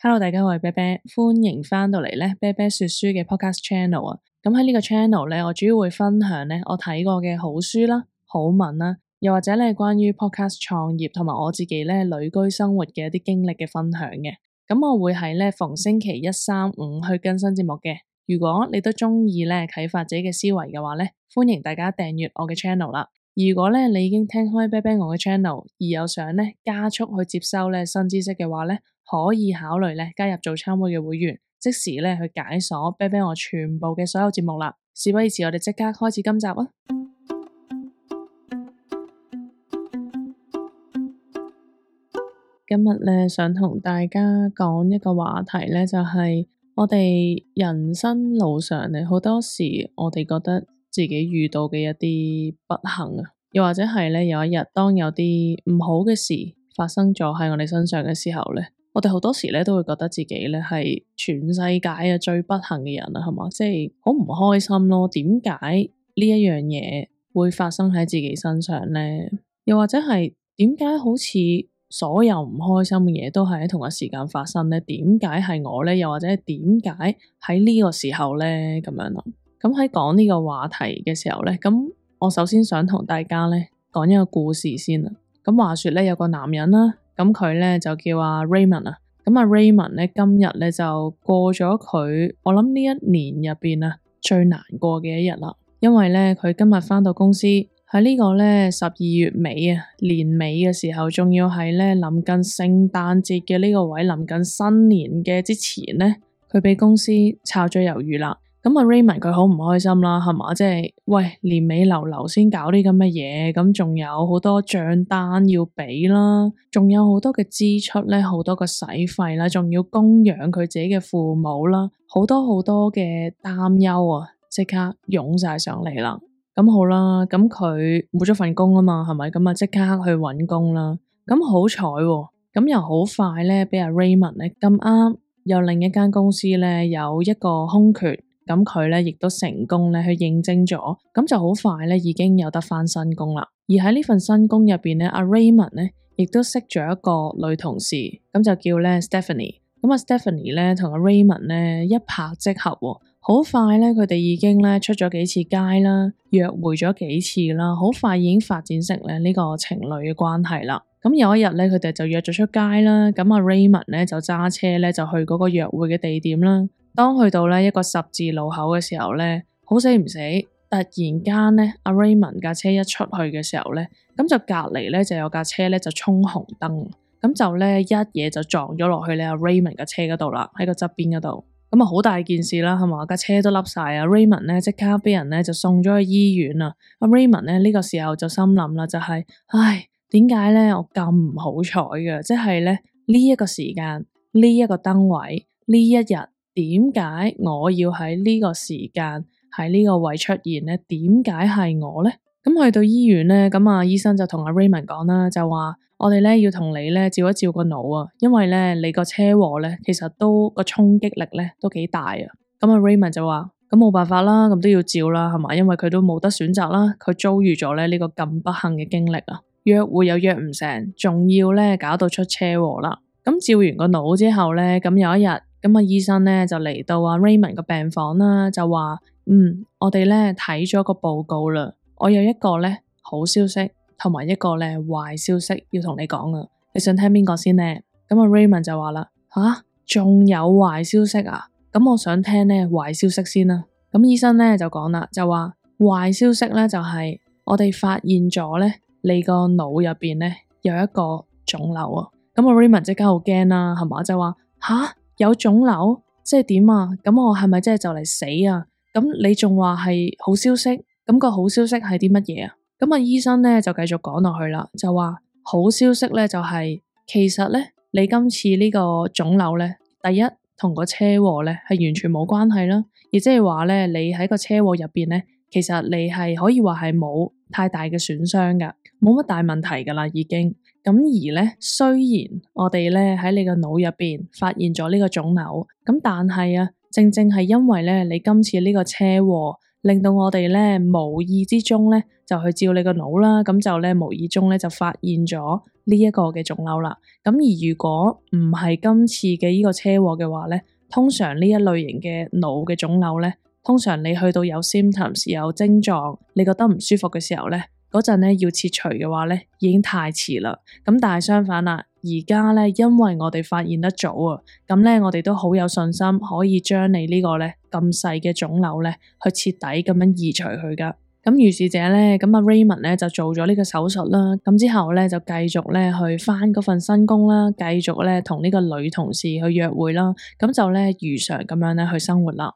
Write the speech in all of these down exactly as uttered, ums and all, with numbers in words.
Hello，大家好，我係啤啤，歡迎翻到嚟咧啤啤說書嘅 podcast channel 啊。咁喺呢個 channel 咧，我主要會分享咧我睇過嘅好書啦、好文啦，又或者咧關於 podcast 創業同埋我自己咧旅居生活嘅一啲經歷嘅分享嘅。咁我會喺咧逢星期一、三、五去更新節目嘅。如果你都中意咧啟發自己嘅思維嘅話咧，歡迎大家訂閱我嘅 channel 啦。如果咧你已經聽開啤啤我嘅 channel，而有想咧加速去接收咧新知識嘅話咧，可以考慮咧加入早餐會嘅會員，即時咧去解鎖啤啤我全部嘅所有節目啦。事不宜遲，我哋即刻開始今集啊！今日咧想同大家講一個話題咧，就係我哋人生路上咧好多時，我哋覺得自己遇到嘅一啲不幸啊，又或者係咧有一日當有啲唔好嘅事發生咗喺我哋身上嘅時候咧，我哋好多時咧都會覺得自己咧係全世界嘅最不幸嘅人啊，係嘛？即係好唔開心咯。點解呢一樣嘢會發生喺自己身上咧？又或者係點解好似所有唔開心嘅嘢都係喺同一時間發生咧？點解係我咧？又或者係點解喺呢個時候咧？咁樣咯。咁喺講呢個話題嘅時候咧，咁我首先想同大家咧講一個故事先啦。咁話說咧，有個男人啦，咁佢咧就叫阿 Raymond 啊。咁阿 Raymond 咧今日咧就過咗佢，我諗呢一年入邊啊最難過嘅一日啦。因為咧佢今日返到公司喺呢個咧十二月尾啊，年尾嘅時候，仲要係咧臨近聖誕節嘅呢個位，臨近新年嘅之前咧，佢俾公司炒咗魷魚啦。咁阿 Raymond 佢好唔開心啦，係嘛？即係喂，年尾流流先搞啲咁嘅嘢，咁仲有好多賬單要俾啦，仲有好多嘅支出咧，好多嘅使費啦，仲要供養佢自己嘅父母啦，好多好多嘅擔憂啊，即刻湧晒上嚟啦。咁好啦，咁佢冇咗份工啊嘛，係咪？咁啊即刻去搵工啦。咁好彩喎，咁又好快咧，俾阿 Raymond 咧咁啱有另一間公司咧有一個空缺。咁佢咧亦都成功咧去應徵咗，咁就好快咧已經有得返新工啦。而喺呢份新工入邊咧，阿 Raymond 咧亦都識咗一個女同事，咁就叫咧 Stephanie。咁啊 Stephanie 咧同阿 Raymond 咧一拍即合喎，好快咧佢哋已經咧出咗幾次街啦，約會咗幾次啦，好快已經發展成咧呢個情侶嘅關係啦。咁有一日咧佢哋就約咗出街啦，咁阿 Raymond 咧就揸車咧就去嗰個約會嘅地點啦。當去到咧一個十字路口嘅時候咧，好死唔死，突然間咧，阿 Raymond 架車一出去嘅時候咧，咁就隔籬咧就有架車咧就衝紅燈，咁就咧一嘢就撞咗落去咧阿 Raymond 架車嗰度啦，喺個側邊嗰度，咁啊好大件事啦，係嘛？架車都凹晒啊 Raymond 咧即刻俾人咧就送咗去醫院啦。阿 Raymond 咧呢個時候就心諗啦，就係，唉，點解咧我咁唔好彩嘅？即係咧呢一個時間，呢一個燈位，呢一日。點解我要喺呢個時間喺呢個位出現呢？點解係我呢？咁去到醫院呢，咁啊醫生就同阿 Raymond 講啦，就話我哋咧要同你咧照一照個腦啊，因為咧你個車禍咧其實都個衝擊力咧都幾大啊。咁阿 Raymond 就話咁冇辦法啦，咁都要照啦，係嘛？因為佢都冇得選擇啦，佢遭遇咗咧呢個咁不幸嘅經歷啊，約會又約唔成，仲要咧搞到出車禍啦。咁照完個腦之後咧，咁有一日。咁啊，醫生咧就嚟到阿 Raymond 個病房啦，就話嗯，我哋咧睇咗個報告啦，我有一個咧好消息，同埋一個咧壞消息要同你講啊，你想聽邊個先咧？咁阿 Raymond 就話啦，吓，仲有壞消息啊？咁我想聽咧壞消息先啦。咁醫生咧就講啦，就話壞消息咧就係我哋發現咗咧你個腦入邊咧有一個腫瘤啊。咁阿 Raymond 即刻好驚啦，係嘛？就話吓。有腫瘤，即係點啊？咁我係咪真係就嚟死啊？咁你仲話係好消息？咁個好消息係啲乜嘢啊？咁啊醫生咧就繼續講落去啦，就話好消息咧就係，其實咧你今次呢個腫瘤咧，第一同個車禍咧係完全冇關係啦，亦即係話咧你喺個車禍入邊咧，其實你係可以話係冇太大嘅損傷噶，冇乜大問題噶啦已經。咁而咧，雖然我哋咧喺你個腦入邊發現咗呢個腫瘤，咁但係啊，正正係因為咧你今次呢個車禍，令到我哋咧無意之中咧就去照你個腦啦，咁就咧無意中咧就發現咗呢一個嘅腫瘤啦。咁而如果唔係今次嘅呢個車禍嘅話咧，通常呢一類型嘅腦嘅腫瘤咧，通常你去到有 symptoms 有症狀，你覺得唔舒服嘅時候咧，嗰陣咧要切除嘅話咧，已經太遲啦。咁但係相反啦，而家咧因為我哋發現得早啊，咁咧我哋都好有信心可以將你呢個咧咁細嘅腫瘤咧去徹底咁樣移除佢噶。咁於是者咧，咁阿 Raymond 咧就做咗呢個手術啦。咁之後咧就繼續咧去返嗰份新工啦，繼續咧同呢個女同事去約會啦。咁就咧如常咁樣咧去生活啦。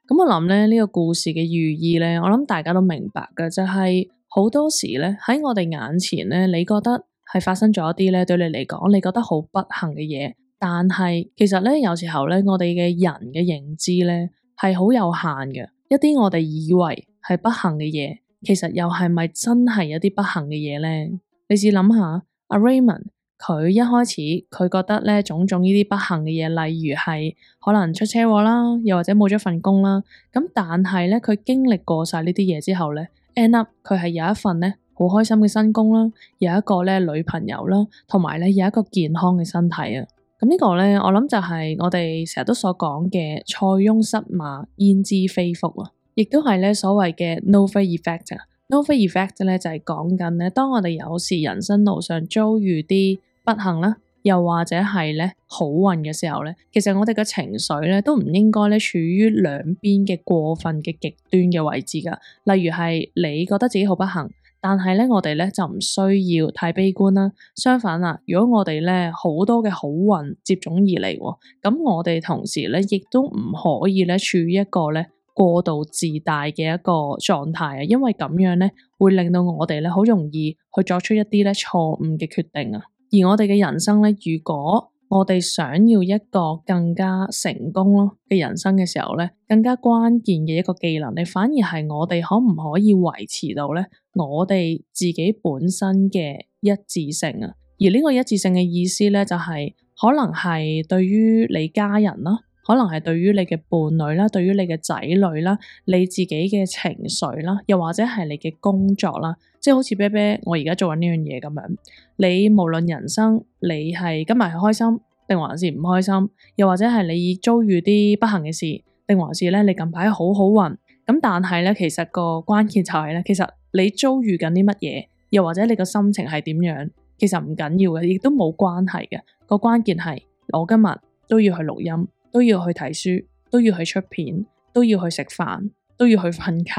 咁我諗咧呢個故事嘅寓意咧，我諗大家都明白嘅，就係好多時咧喺我哋眼前咧，你覺得係發生咗一啲咧對你嚟講，你覺得好不幸嘅嘢。但係其實咧，有時候咧，我哋嘅人嘅認知咧係好有限嘅。一啲我哋以為係不幸嘅嘢，其實又係咪真係一啲不幸嘅嘢咧？你試諗下，阿 Raymond 佢一開始佢覺得咧種種呢啲不幸嘅嘢，例如係可能出車禍啦，又或者冇咗份工啦。咁但係咧，佢經歷過晒呢啲嘢之後咧 end up 佢係有一份咧好開心嘅新工啦，有一個咧女朋友啦，同埋咧有一個健康嘅身體啊。咁呢個咧，我諗就係我哋成日都所講嘅塞翁失馬，焉知非福啊，亦都係咧所謂嘅 Novel effect 啊。Novel effect 咧就係講緊咧，當我哋有時人生路上遭遇啲不幸啦，又或者係咧好運嘅時候咧，其實我哋嘅情緒咧都唔應該咧處於兩邊嘅過分嘅極端嘅位置噶。例如係你覺得自己好不幸。但係咧，我哋咧就唔需要太悲觀啦。相反啦，如果我哋咧好多嘅好運接踵而嚟，咁我哋同時咧亦都唔可以咧處於一個咧過度自大嘅一個狀態啊。因為咁樣咧會令到我哋咧好容易去作出一啲咧錯誤嘅決定啊。而我哋嘅人生咧，如果我哋想要一個更加成功咯嘅人生嘅時候咧，更加關鍵嘅一個技能，你反而係我哋可唔可以維持到咧我哋自己本身嘅一致性啊？而呢個一致性嘅意思咧，就係可能係對於你家人啦，可能係對於你嘅伴侶啦，對於你嘅仔女啦，你自己嘅情緒啦，又或者係你嘅工作啦，即係好似啤啤我而家做緊呢樣嘢咁樣。你無論人生你係今日係開心定還是唔開心，又或者係你遭遇啲不幸嘅事，定還是咧你近排好好運，咁但係咧其實個關鍵就係咧，其實你遭遇緊啲乜嘢，又或者你個心情係點樣，其實唔緊要嘅，亦都冇關係嘅。個關鍵係我今日都要去錄音，都要去睇書，都要去出片，都要去食飯，都要去瞓覺。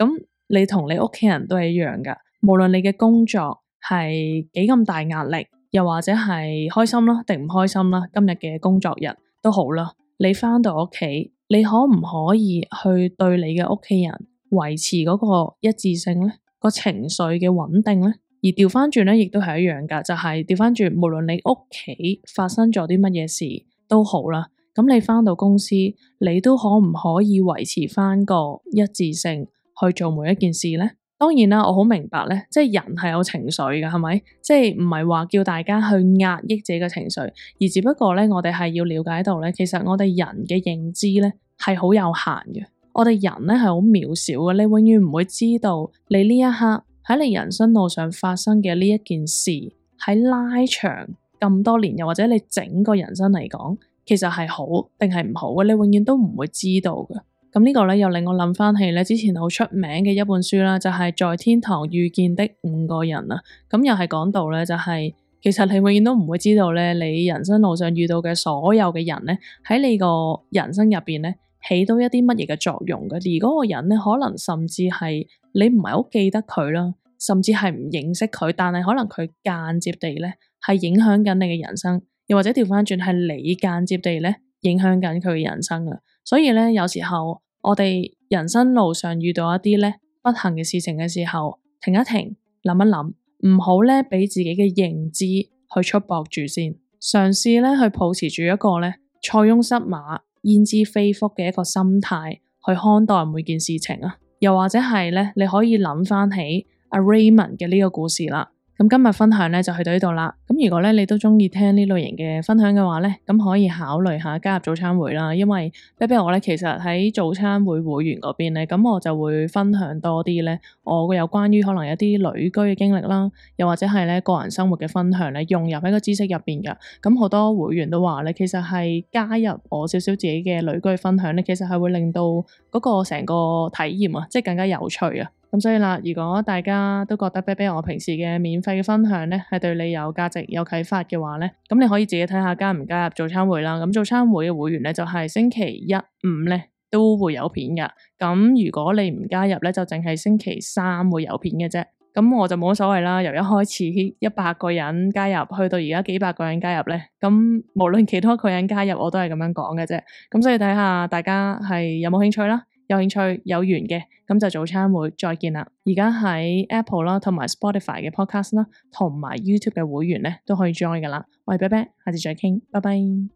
咁你同你屋企人都係一樣噶，無論你嘅工作係幾咁大壓力，又或者係開心啦定唔開心啦，今日嘅工作日都好啦，你返到屋企，你可唔可以去對你嘅屋企人維持嗰個一致性咧？個情緒嘅穩定咧？而調翻轉咧，亦都係一樣噶，就係調翻轉，無論你屋企發生咗啲乜嘢事都好啦，咁你返到公司，你都可唔可以維持翻個一致性去做每一件事咧？當然啦，我好明白咧，即係人係有情緒嘅，係咪？即係唔係話叫大家去壓抑自己嘅情緒，而只不過咧，我哋係要了解到咧，其實我哋人嘅認知咧係好有限嘅，我哋人咧係好渺小嘅，你永遠唔會知道你呢一刻喺你人生路上發生嘅呢一件事，喺拉長咁多年，又或者你整個人生嚟講，其實係好定係唔好嘅，你永遠都唔會知道嘅。咁呢個咧又令我諗翻起咧之前好出名嘅一本書啦，就係在天堂遇見的五個人啊。咁又係講到咧，就係其實你永遠都唔會知道咧，你人生路上遇到嘅所有嘅人咧，喺你個人生入邊咧起到一啲乜嘢嘅作用嘅。而嗰個人咧，可能甚至係你唔係好記得佢啦，甚至係唔認識佢，但係可能佢間接地咧係影響緊你嘅人生，又或者調翻轉係你間接地咧影響緊佢嘅人生啊。所以咧，有時候我哋人生路上遇到一啲咧不幸嘅事情嘅時候，停一停，諗一諗，唔好咧俾自己嘅認知去束縛住先，嘗試咧去抱持住一個咧塞翁失馬，焉知非福嘅一個心態去看待每件事情啊。又或者係咧，你可以諗翻起阿 Raymond 嘅呢個故事啦。咁今日分享咧就去到呢度啦。咁如果咧你都中意聽呢類型嘅分享嘅話咧，咁可以考慮下加入早餐會啦。因為啤啤我咧其實喺早餐會會員嗰邊咧，咁我就會分享多啲咧我會有關於可能一啲旅居嘅經歷啦，又或者係咧個人生活嘅分享咧，融入喺個知識入邊噶。咁好多會員都話咧，其實係加入我少少自己嘅旅居分享咧，其實係會令到嗰個成個體驗啊，即係更加有趣啊。咁所以啦，如果大家都覺得啤啤我平時嘅免費嘅分享咧，係對你有價值、有啟發嘅話咧，咁你可以自己睇下加唔加入早餐會啦。咁早餐會嘅會員咧，就係星期一、五咧都會有片噶。咁如果你唔加入咧，就淨係星期三會有片嘅啫。咁我就冇乜所謂啦。由一開始一百個人加入，去到而家幾百個人加入咧，咁無論幾多個人加入，我都係咁樣講嘅啫。咁所以睇下大家係有冇興趣啦。有興趣有緣嘅，咁就早餐會再見啦。而家喺 Apple 啦，同埋 Spotify 嘅 Podcast 啦，同埋 YouTube 嘅會員咧都可以 join 噶啦。我係啤啤，下次再傾，拜拜。